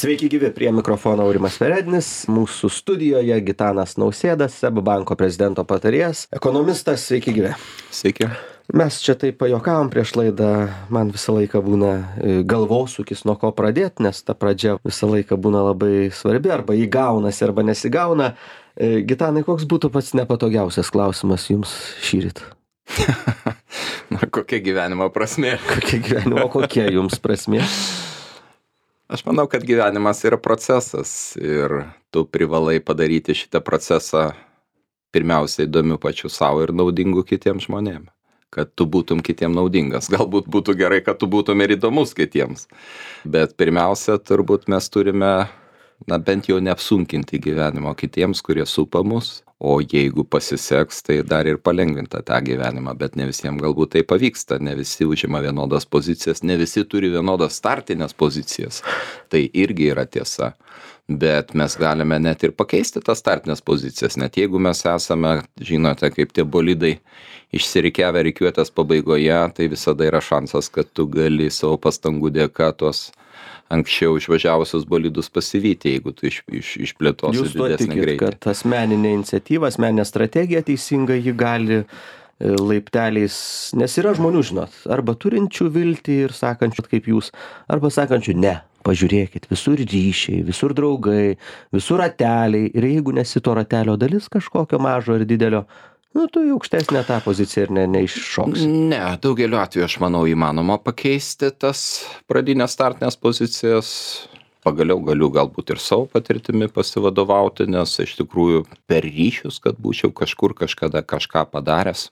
Sveiki gyvi, prie mikrofono Aurimas Verednis, mūsų studijoje Gitanas Nausėda, SEB banko prezidento patarėjas, ekonomistas, sveiki gyvi. Sveiki. Mes čia taip pajuokavom prieš laidą, man visą laiką būna galvosūkis nuo ko pradėti, nes ta pradžia visą laiką būna labai svarbi, arba įgaunasi, arba nesigauna. Gitanai, koks būtų pats nepatogiausias klausimas jums šįryt? Na, kokia gyvenimo prasmė? Kokia jums prasmė? Aš manau, kad gyvenimas yra procesas ir tu privalai padaryti šitą procesą pirmiausia įdomiu pačiu savo ir naudingu kitiems žmonėms. Kad tu būtum kitiem naudingas. Galbūt būtų gerai, kad tu būtum ir įdomus kitiems. Bet pirmiausia, turbūt mes turime, bent jau neapsunkinti gyvenimo kitiems, kurie supa mus. O jeigu pasiseks, tai dar ir palengvinta tą gyvenimą, bet ne visiems galbūt tai pavyksta, ne visi užima vienodas pozicijas, ne visi turi vienodas startinės pozicijas. Tai irgi yra tiesa. Bet mes galime net ir pakeisti tas startinės pozicijas, net jeigu mes esame, žinote, kaip tie bolidai išsirikiavę rikiuotės pabaigoje, tai visada yra šansas, kad tu gali savo pastangų dėka tos anksčiau išvažiavusius bolidus pasivyti, jeigu tu išplėtosi didesnį greitį. Jūs tuo tikit, kad asmeninė iniciatyva, asmeninė strategija teisinga, ji gali laipteliais, nes yra žmonių, žinot, arba turinčių viltį ir sakančių kaip jūs, arba sakančių ne, pažiūrėkit, visur ryšiai, visur draugai, visur rateliai, ir jeigu nesi to ratelio dalis kažkokio mažo ir didelio, tu į aukštesnę tą poziciją ir neiššoksi. Ne, daugeliu atveju aš manau įmanoma pakeisti tas pradinės startinės pozicijas. Pagaliau galiu galbūt ir savo patirtimi pasivadovauti, nes iš tikrųjų per ryšius, kad būčiau kažkur kažkada kažką padaręs.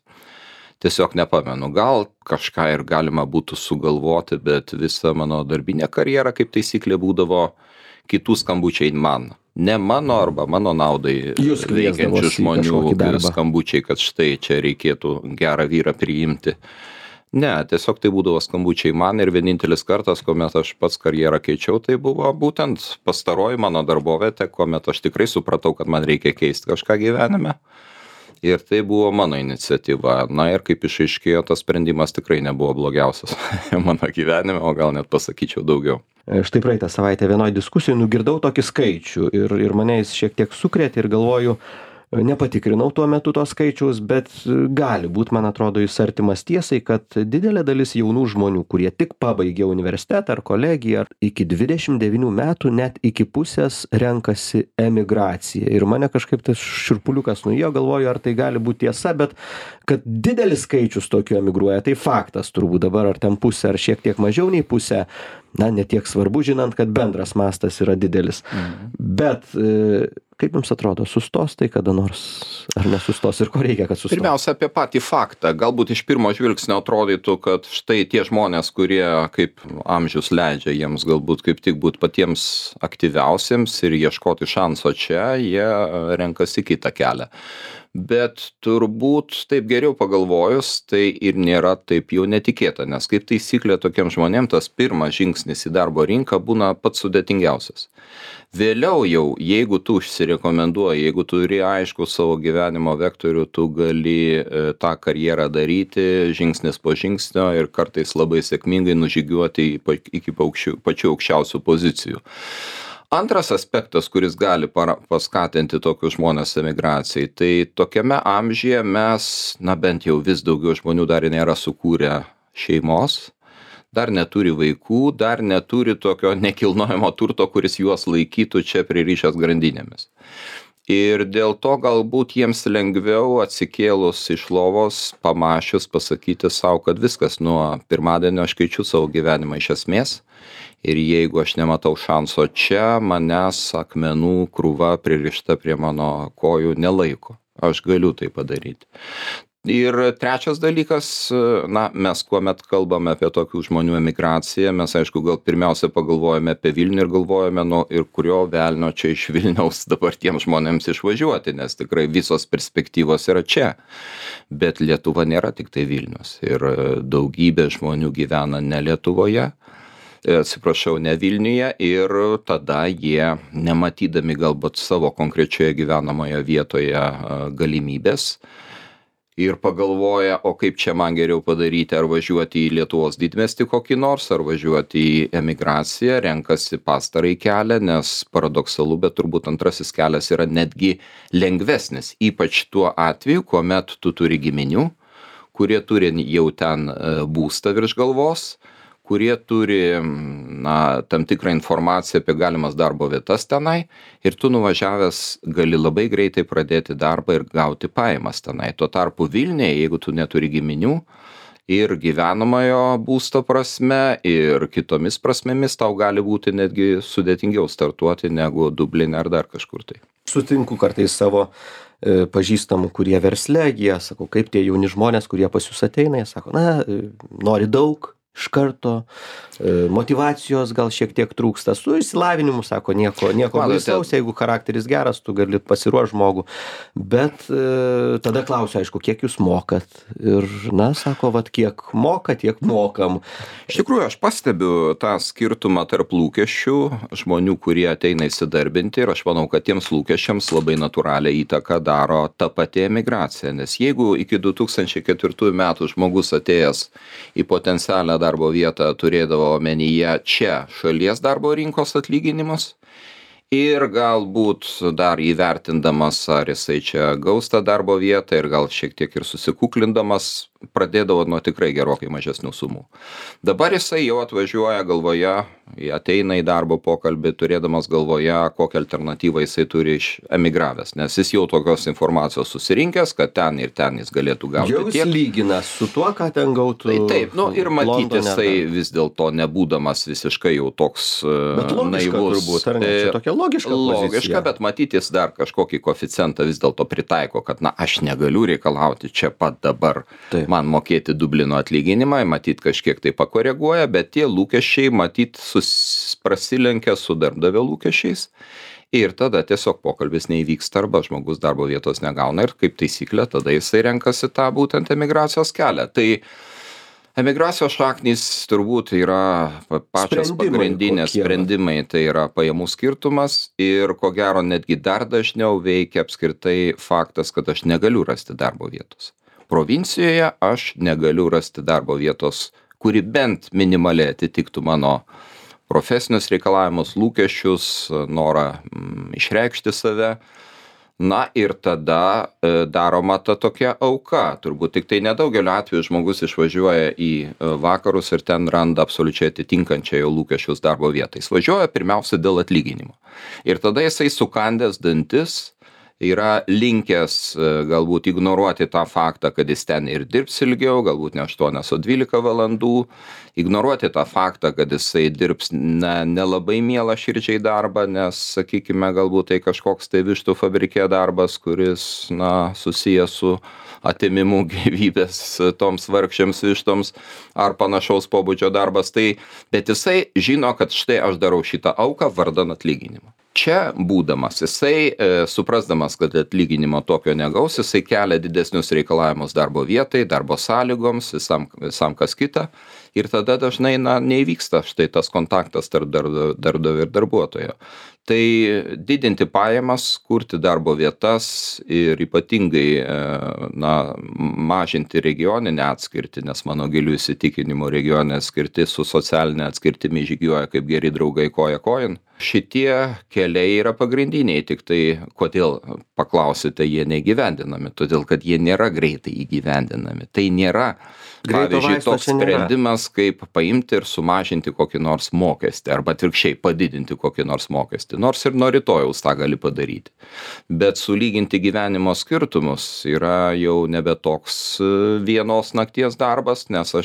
Tiesiog nepamenu, gal kažką ir galima būtų sugalvoti, bet visa mano darbinė karjera kaip taisyklė būdavo kitų skambučiai man. Ne mano arba mano naudai veikiančių žmonių skambučiai, kad štai čia reikėtų gerą vyrą priimti. Ne, tiesiog tai būdavo skambučiai man ir vienintelis kartas, kuomet aš pats karjerą keičiau, tai buvo būtent pastaroji mano darbovietė, kuomet aš tikrai supratau, kad man reikia keisti kažką gyvenime. Ir tai buvo mano iniciatyva. Na ir kaip išaiškėjo, tas sprendimas tikrai nebuvo blogiausias mano gyvenime, o gal net pasakyčiau daugiau. Štai praeitą savaitę vienoj diskusijoj nugirdau tokį skaičių ir mane jis šiek tiek sukrėtė ir galvoju, nepatikrinau tuo metu to skaičiaus, bet gali būt, man atrodo, jis artimas tiesai, kad didelė dalis jaunų žmonių, kurie tik pabaigė universitetą ar kolegiją, iki 29 metų net iki pusės renkasi emigraciją. Ir mane kažkaip tas širpuliukas nuėjo, galvoju, ar tai gali būti tiesa, bet kad didelis skaičius tokių emigruoja, tai faktas turbūt dabar, ar ten pusė, ar šiek tiek mažiau nei pusė, netiek svarbu, žinant, kad bendras mastas yra didelis. Bet kaip jums atrodo, sustos tai kada nors, ar nesustos ir ko reikia, kad sustos? Pirmiausia, apie patį faktą. Galbūt iš pirmo žvilgsnio atrodytų, kad štai tie žmonės, kurie kaip amžius leidžia jiems galbūt kaip tik būti patiems aktyviausiems ir ieškoti šanso čia, jie renkasi kitą kelią. Bet turbūt taip geriau pagalvojus, tai ir nėra taip jau netikėta, nes kaip taisyklė tokiem žmonėm tas pirmas žingsnis į darbo rinką būna pats sudėtingiausias. Vėliau jau, jeigu tu užsirekomenduoji, jeigu tu turi aišku savo gyvenimo vektorių, tu gali tą karjerą daryti žingsnis po žingsnio ir kartais labai sėkmingai nužygiuoti iki pačių aukščiausių pozicijų. Antras aspektas, kuris gali paskatinti tokius žmonės emigracijai, tai tokiame amžiuje mes, bent jau vis daugiau žmonių dar nėra sukūrę šeimos, dar neturi vaikų, dar neturi tokio nekilnojamo turto, kuris juos laikytų čia pririšęs grandinėmis. Ir dėl to galbūt jiems lengviau atsikėlus iš lovos, pamačius, pasakyti savo, kad viskas, nuo pirmadienio aš keičiu savo gyvenimą iš esmės. Ir jeigu aš nematau šanso čia, manęs akmenų krūva pririšta prie mano kojų nelaiko. Aš galiu tai padaryti. Ir trečias dalykas, mes kuomet kalbame apie tokių žmonių emigraciją, mes aišku gal pirmiausia pagalvojame apie Vilnių ir galvojame, ir kurio velnio čia iš Vilniaus dabar tiems žmonėms išvažiuoti, nes tikrai visos perspektyvos yra čia. Bet Lietuva nėra tik tai Vilnius ir daugybė žmonių gyvena ne Lietuvoje, ne Vilniuje, ir tada jie, nematydami galbūt savo konkrečioje gyvenamoje vietoje galimybės, ir pagalvoja, o kaip čia man geriau padaryti, ar važiuoti į Lietuvos didmiestį kokį nors, ar važiuoti į emigraciją, renkasi pastarąjį kelią, nes paradoksalu, bet turbūt antrasis kelias yra netgi lengvesnis, ypač tuo atveju, kuomet tu turi giminių, kurie turi jau ten būstą virš galvos, kurie turi tam tikrą informaciją apie galimas darbo vietas tenai ir tu nuvažiavęs gali labai greitai pradėti darbą ir gauti pajamas tenai. Tuo tarpu Vilniuje, jeigu tu neturi giminių ir gyvenamojo būsto prasme ir kitomis prasmėmis, tau gali būti netgi sudėtingiau startuoti negu Dubline ar dar kažkur tai. Sutinku kartais savo pažįstamų, kurie versle, jie sako, kaip tie jauni žmonės, kurie pas jūs ateina, jie sako, nori daug, iš karto, motyvacijos gal šiek tiek trūksta, su išsilavinimu, sako, nieko baisaus, jeigu charakteris geras, tu gali pasiruošti žmogų, bet tada klausiu, aišku, kiek jūs mokat ir, sako, kiek moka, tiek mokam. Iš tikrųjų, aš pastebiu tą skirtumą tarp lūkesčių žmonių, kurie ateina įsidarbinti ir aš manau, kad tiems lūkesčiams labai natūralią įtaką daro ta pati emigracija, nes jeigu iki 2004 metų žmogus atėjęs į potencialią darbo vietą turėdavo omenyje čia šalies darbo rinkos atlyginimus ir galbūt dar įvertindamas, ar jisai čia gaus tą darbo vietą ir gal šiek tiek ir susikuklindamas, pradėdavo nuo tikrai gerokai mažesnių sumų. Dabar jisai jau atvažiuoja galvoje, ateina į darbo pokalbį, turėdamas galvoje, kokią alternatyvą jisai turi iš emigravęs, nes jis jau tokios informacijos susirinkęs, kad ten ir ten jis galėtų gauti tiek. Jau jis lygina su tuo, ką ten gautų. Taip, ir matyti jisai vis dėlto nebūdamas visiškai jau toks naivus. Turbūt, ar ne? Čia tokia logiška pozicija. Logiška, bet matyti jis dar kažkokį koeficientą vis dėlto pritaiko, kad aš negaliu reikalauti čia pat dabar. Taip. Man mokėti Dublino atlyginimą, matyt kažkiek tai pakoreguoja, bet tie lūkesčiai matyt prasilenkia su darbdavio lūkesčiais ir tada tiesiog pokalbis neįvyksta arba žmogus darbo vietos negauna ir kaip taisyklė tada jisai renkasi tą būtent emigracijos kelią. Tai emigracijos šaknys turbūt yra pačios pagrindinės sprendimai, tai yra pajamų skirtumas ir ko gero netgi dar dažniau veikia apskritai faktas, kad aš negaliu rasti darbo vietos. Provincijoje aš negaliu rasti darbo vietos, kuri bent minimaliai atitiktų mano profesinius reikalavimus, lūkesčius, norą išreikšti save. Ir tada daroma ta tokia auka. Turbūt tik tai nedaugeliu atveju žmogus išvažiuoja į vakarus ir ten randa absoliučiai atitinkančią jo lūkesčius darbo vietą. Jis važiuoja pirmiausia dėl atlyginimo. Ir tada jisai sukandęs dantis yra linkęs galbūt ignoruoti tą faktą, kad jis ten ir dirbs ilgiau, galbūt ne 8, o 12 valandų, ignoruoti tą faktą, kad jisai dirbs nelabai mielą širdžiai darbą, nes, sakykime, galbūt tai kažkoks tai vištų fabrike darbas, kuris, susijęs su atėmimu gyvybės toms vargšėms vištoms ar panašaus pobūdžio darbas. Bet jisai žino, kad štai aš darau šitą auką vardan atlyginimo. Čia būdamas, jisai, suprasdamas, kad atlyginimo tokio negaus, jisai kelia didesnius reikalavimus darbo vietai, darbo sąlygoms, visam kas kita. Ir tada dažnai neįvyksta štai tas kontaktas tarp darbdavio ir darbuotojo. Tai didinti pajamas, kurti darbo vietas ir ypatingai mažinti regioninę atskirtį, nes mano gilių įsitikinimų regioninė atskirtis su socialinė atskirtimi žygiuoja kaip geri draugai koja kojon. Šitie keliai yra pagrindiniai, tik tai kodėl, paklausite, jie neįgyvendinami, todėl kad jie nėra greitai įgyvendinami. Tai nėra, pavyzdžiui, toks sprendimas, kaip paimti ir sumažinti kokį nors mokestį, arba atvirkščiai padidinti kokį nors mokestį, nors ir nuo rytojaus tą gali padaryti. Bet sulyginti gyvenimo skirtumus yra jau nebe toks vienos nakties darbas, nes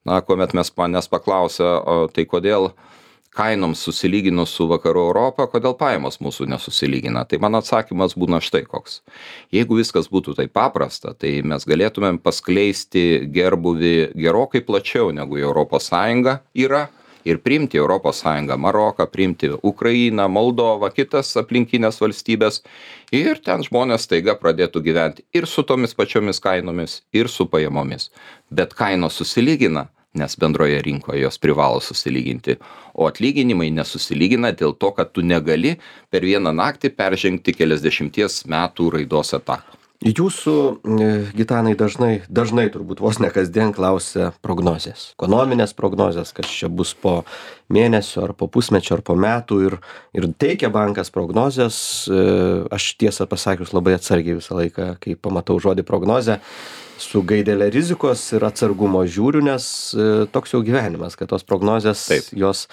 kuomet manęs paklausia, tai kodėl kainoms susilyginus su vakarų Europą, kodėl pajamos mūsų nesusilygina. Tai mano atsakymas būna štai koks. Jeigu viskas būtų taip paprasta, tai mes galėtumėm paskleisti gerbuvį gerokai plačiau negu Europos Sąjunga yra ir priimti Europos Sąjungą Maroką, priimti Ukrainą, Moldovą, kitas aplinkinės valstybės ir ten žmonės staiga pradėtų gyventi ir su tomis pačiomis kainomis, ir su pajamomis. Bet kainos susilygina, nes bendroje rinkoje jos privalo susilyginti, o atlyginimai nesusilygina dėl to, kad tu negali per vieną naktį peržengti keliasdešimties metų raidos etapą. Jūsų, Gitanai, dažnai turbūt vos ne kasdien klausia prognozės, ekonominės prognozės, kas čia bus po mėnesio ar po pusmečio ar po metų ir teikia bankas prognozės. Aš tiesą pasakius labai atsargiai visą laiką, kai pamatau žodį prognozė, su gaidele rizikos ir atsargumo žiūriu, nes toks jau gyvenimas, kad tos prognozės, jos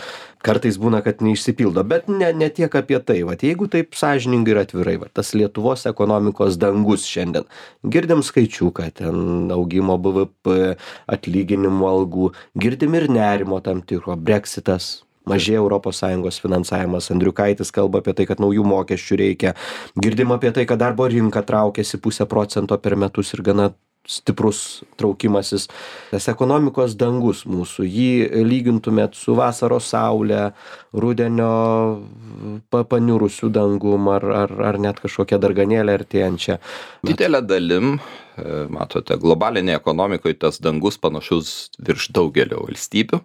kartais būna, kad neišsipildo, bet ne tiek apie tai. Vat jeigu taip sąžiningai ir atvirai, vat tas Lietuvos ekonomikos dangus šiandien, girdim skaičiuką, ten augimo BVP, atlyginimų, algų, girdim ir nerimo tam tikro, Brexitas, mažėja ES finansavimas, Andriukaitis kalba apie tai, kad naujų mokesčių reikia, girdim apie tai, kad darbo rinka traukiasi 0,5% per metus ir gana stiprus traukimasis. Tas ekonomikos dangus mūsų, jį lygintumėt su vasaros saulė, rudenio paniurusių dangum ar net kažkokia darganėlė artėjančia. Didelė dalim, matote, globalinėje ekonomikoje tas dangus panašus virš daugelio valstybių,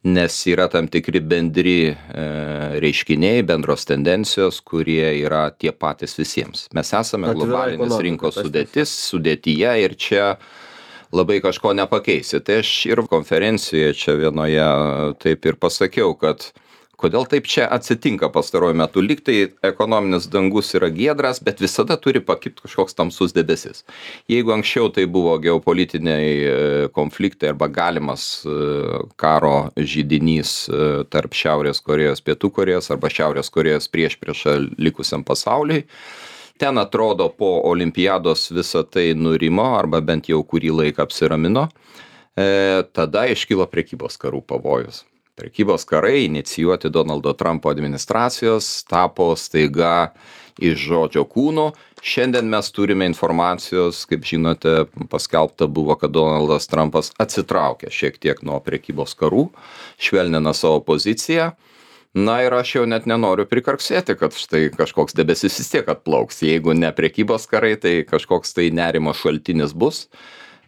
nes yra tam tikri bendri reiškiniai, bendros tendencijos, kurie yra tie patys visiems. Mes esame globalinės rinkos sudėtyje ir čia labai kažko nepakeisi. Tai aš ir konferencijoje čia vienoje taip ir pasakiau, kad kodėl taip čia atsitinka pastaruoju metu. Lyg tai ekonominis dangus yra giedras, bet visada turi pakibti kažkoks tamsus debesis. Jeigu anksčiau tai buvo geopolitiniai konfliktai arba galimas karo židinys tarp Šiaurės Korėjos, Pietų Korėjos arba Šiaurės Korėjos priešpriešą likusiam pasauliui, ten atrodo po olimpiados visa tai nurimo arba bent jau kurį laiką apsiramino, tada iškilo prekybos karų pavojus. Prekybos karai, inicijuoti Donaldo Trumpo administracijos, tapo staiga iš žodžio kūno. Šiandien mes turime informacijos, kaip žinote, paskelbta buvo, kad Donaldas Trumpas atsitraukė šiek tiek nuo prekybos karų, švelnina savo poziciją. Na ir aš jau net nenoriu prikarksėti, kad štai kažkoks debesis vis tiek atplauks. Jeigu ne prekybos karai, tai kažkoks tai nerimo šaltinis bus.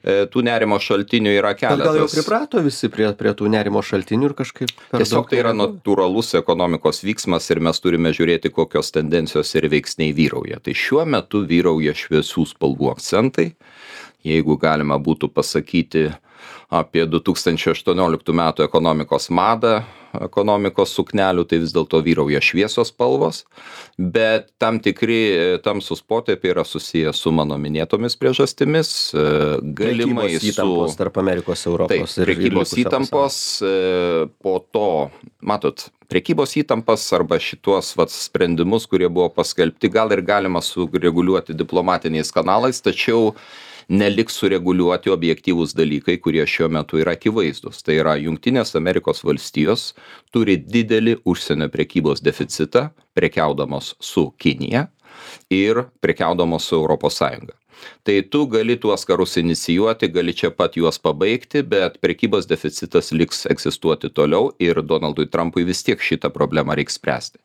Tų nerimo šaltinių yra keletas. Gal jau priprato visi prie tų nerimo šaltinių ir kažkaip... Tiesiog tai yra natūralus ekonomikos vyksmas ir mes turime žiūrėti, kokios tendencijos ir veiksniai vyrauja. Tai šiuo metu vyrauja šviesių spalvų akcentai. Jeigu galima būtų pasakyti apie 2018 metų ekonomikos madą, ekonomikos suknelių, tai vis dėlto vyrauja šviesos spalvos, bet tam tikri tamsūs potėpiai yra susiję su mano minėtomis priežastimis, galimai su įtampos tarp Amerikos, Europos ir prekybos įtampos, po to, matot, prekybos įtampas arba šitos sprendimus, kurie buvo paskelbti, gal ir galima sureguliuoti diplomatiniais kanalais, tačiau neliks sureguliuoti objektyvūs dalykai, kurie šiuo metu yra akivaizdus. Tai yra Jungtinės Amerikos valstijos turi didelį užsienio prekybos deficitą, prekiaudamos su Kinija ir prekiaudamos su Europos Sąjunga. Tai tu gali tuos karus inicijuoti, gali čia pat juos pabaigti, bet prekybos deficitas liks egzistuoti toliau ir Donaldui Trumpui vis tiek šitą problemą reiks spręsti.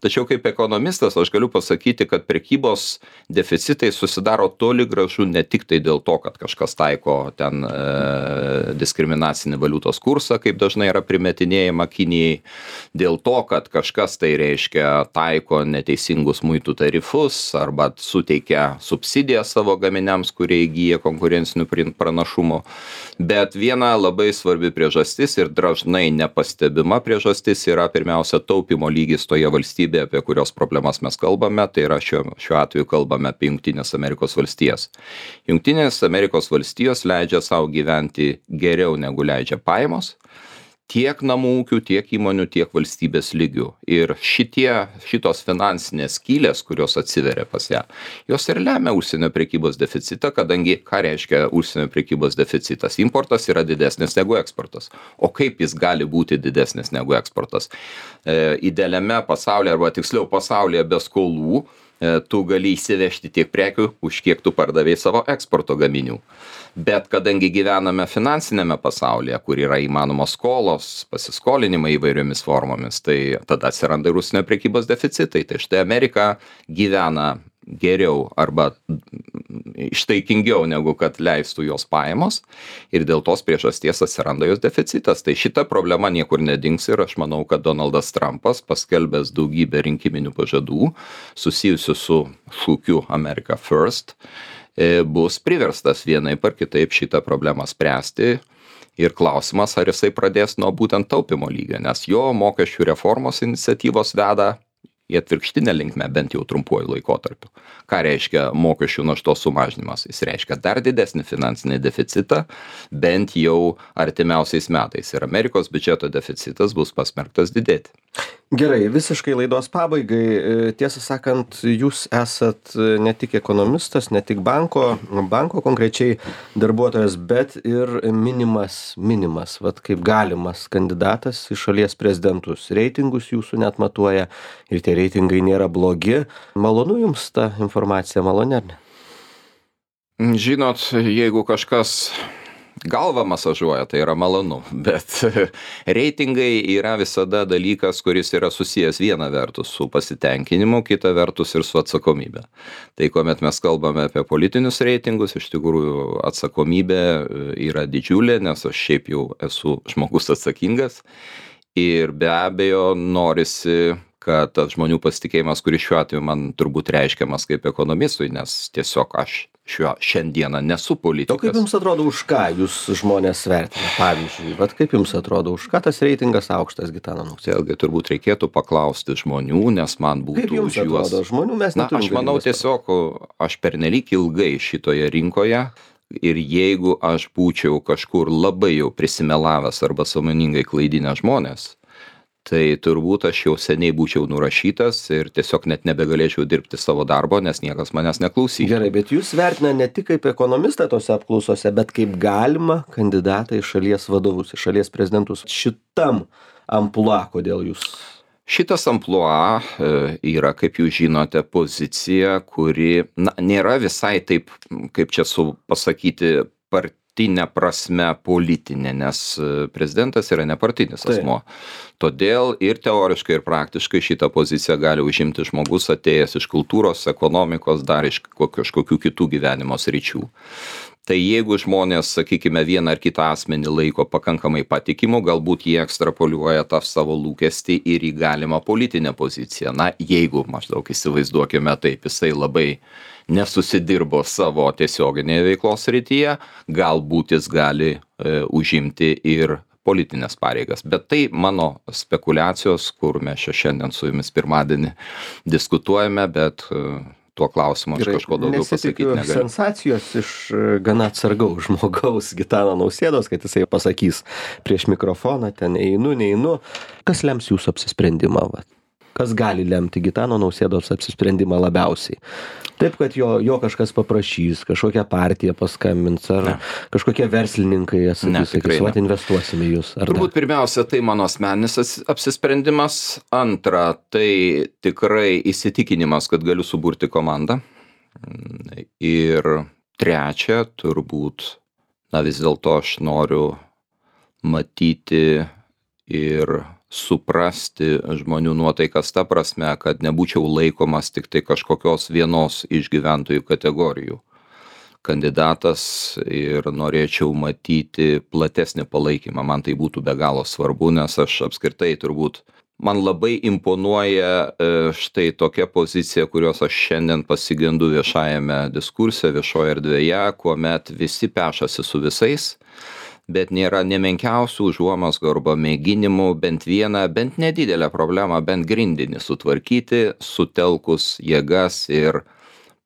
Tačiau kaip ekonomistas aš galiu pasakyti, kad prekybos deficitai susidaro toli gražu ne tik tai dėl to, kad kažkas taiko ten diskriminacinį valiutos kursą, kaip dažnai yra primetinėjama Kinijai, dėl to, kad kažkas tai reiškia taiko neteisingus muitų tarifus arba suteikia subsidiją savo gaminiams, kurie įgyja konkurencinių pranašumų. Bet viena labai svarbi priežastis ir dažnai nepastebima priežastis yra pirmiausia taupimo lygis toje valstybėje, apie kurios problemas mes kalbame, tai yra šiuo atveju kalbame apie Jungtinės Amerikos valstijas. Jungtinės Amerikos valstijos leidžia savo gyventi geriau negu leidžia pajamos, tiek namų ūkių, tiek įmonių, tiek valstybės lygių. Ir šitos finansinės skylės, kurios atsiveria pas ją, jos ir lemia užsienio prekybos deficitą, kadangi ką reiškia užsienio prekybos deficitas? Importas yra didesnis negu eksportas. O kaip jis gali būti didesnis negu eksportas? Idealiame pasaulyje, arba tiksliau pasaulyje be skolų, tu gali įsivežti tiek prekių, už kiek tu pardavėjai savo eksporto gaminių. Bet kadangi gyvename finansinėme pasaulyje, kur yra įmanomos skolos, pasiskolinimai įvairiomis formomis, tai tada atsiranda ir užsienio prekybos deficitai. Tai štai Amerika gyvena geriau arba ištaikingiau negu kad leistų jos pajamos ir dėl tos priežasties atsiranda jos deficitas. Tai šita problema niekur nedings ir aš manau, kad Donaldas Trumpas paskelbęs daugybę rinkiminių pažadų susijusių su šūkiu America First, bus priverstas vienaip ar kitaip šitą problemą spręsti. Ir klausimas, ar jisai pradės nuo būtent taupimo lygio, nes jo mokesčių reformos iniciatyvos veda į atvirkštinę linkmę, bent jau trumpuoju laikotarpiu. Ką reiškia mokesčių naštos sumažinimas? Jis reiškia dar didesnį finansinį deficitą, bent jau artimiausiais metais. Ir Amerikos biudžeto deficitas bus pasmerktas didėti. Gerai, visiškai laidos pabaigai. Tiesą sakant, jūs esat ne tik ekonomistas, ne tik banko konkrečiai darbuotojas, bet ir minimas, vat kaip galimas kandidatas į šalies prezidentus. Reitingus jūsų net matuoja ir tie reitingai nėra blogi. Malonu jums ta informacija, maloni ar ne? Žinot, jeigu kažkas galvą masažuoja, tai yra malonu, bet reitingai yra visada dalykas, kuris yra susijęs viena vertus su pasitenkinimu, kita vertus ir su atsakomybė. Tai kuomet mes kalbame apie politinius reitingus, iš tikrųjų atsakomybė yra didžiulė, nes aš šiaip jau esu žmogus atsakingas ir be abejo norisi, kad tas žmonių pasitikėjimas, kuris šiuo atveju man turbūt reiškiamas kaip ekonomistui, nes tiesiog aš šiandieną nesu politikas. O kaip jums atrodo, už ką jūs žmonės vertina? Pavyzdžiui, vat kaip jums atrodo, už ką tas reitingas aukštas Gitano Nausėdos? Vėlgi turbūt reikėtų paklausti žmonių, nes man būtų kaip jums už juos. Atrodo, žmonių mes neturim. Aš manau tiesiog, aš pernelyg ilgai šitoje rinkoje ir jeigu aš būčiau kažkur labai jau prisimelavęs arba sąmoningai klaidinęs žmonės, tai turbūt aš jau seniai būčiau nurašytas ir tiesiog net nebegalėčiau dirbti savo darbo, nes niekas manęs neklausys. Gerai, bet jūs vertina ne tik kaip ekonomistą tose apklausose, bet kaip galima kandidatą į šalies vadovus, į šalies prezidentus. Šitam amplua, kodėl jūs? Šitas amplua yra, kaip jūs žinote, pozicija, kuri nėra visai taip, kaip čia pasakyti, partinė prasme politinė, nes prezidentas yra nepartinis asmuo. Todėl ir teoriškai, ir praktiškai šitą poziciją gali užimti žmogus atėjęs iš kultūros, ekonomikos, dar iš kažkokių kitų gyvenimo sričių. Tai jeigu žmonės, sakykime, vieną ar kitą asmenį laiko pakankamai patikimu, galbūt jie ekstrapoliuoja tą savo lūkestį ir į galimą politinę poziciją. Na, jeigu, maždaug įsivaizduokime taip, jisai labai nesusidirbo savo tiesioginėje veiklos srityje, galbūt jis gali užimti ir politinės pareigas. Bet tai mano spekulacijos, kur mes šiandien su jumis pirmadienį diskutuojame, bet tuo klausimu aš kažko daugiau pasakyti negaliu. Nesitikiu sensacijos iš gana atsargaus žmogaus Gitano Nausėdos, kad jisai pasakys prieš mikrofoną, ten einu, neinu. Kas lems jūsų apsisprendimą? Kas gali lemti Gitano Nausėdos apsisprendimą labiausiai? Taip, kad jo kažkas paprašys, kažkokia partija paskambins, ar kažkokie verslininkai sakys, investuosime jūs. Turbūt pirmiausia, tai mano asmeninis apsisprendimas. Antra, tai tikrai įsitikinimas, kad galiu suburti komandą. Ir trečia, turbūt, vis dėlto aš noriu matyti ir suprasti žmonių nuotaikas ta prasme, kad nebūčiau laikomas tik tai kažkokios vienos iš gyventojų kategorijų kandidatas ir norėčiau matyti platesnį palaikymą. Man tai būtų be galo svarbu, nes aš apskritai turbūt, man labai imponuoja štai tokia pozicija, kurios aš šiandien pasigendu viešajame diskurse, viešoje erdvėje, kuomet visi pešasi su visais, bet nėra nemenkiausių užuomazgų arba mėginimų bent vieną, bent nedidelę problemą, bent grindinį sutvarkyti, sutelkus jėgas ir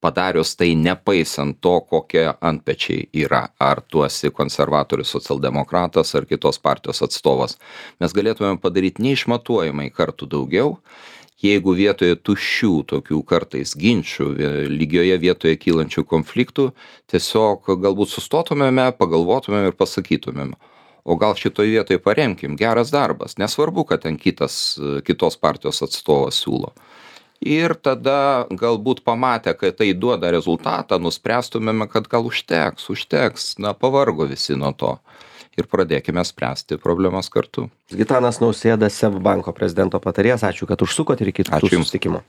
padarius tai nepaisant to, kokie antpečiai yra, ar tu esi konservatorius, socialdemokratas ar kitos partijos atstovas. Mes galėtume padaryti neišmatuojamai kartų daugiau, jeigu vietoje tuščių tokių kartais ginčių, lygioje vietoje kylančių konfliktų, tiesiog galbūt sustotumėme, pagalvotumėm ir pasakytumėm, o gal šitoje vietoje paremkim, geras darbas, nesvarbu, kad ten kitos partijos atstovas siūlo. Ir tada galbūt pamatę, kad tai duoda rezultatą, nuspręstumėme, kad gal užteks, pavargo visi nuo to. Ir pradėkime spręsti problemas kartu. Gitanas Nausėda, SEB banko prezidento patarėjas, ačiū, kad užsukot ir iki kitų susitikimų.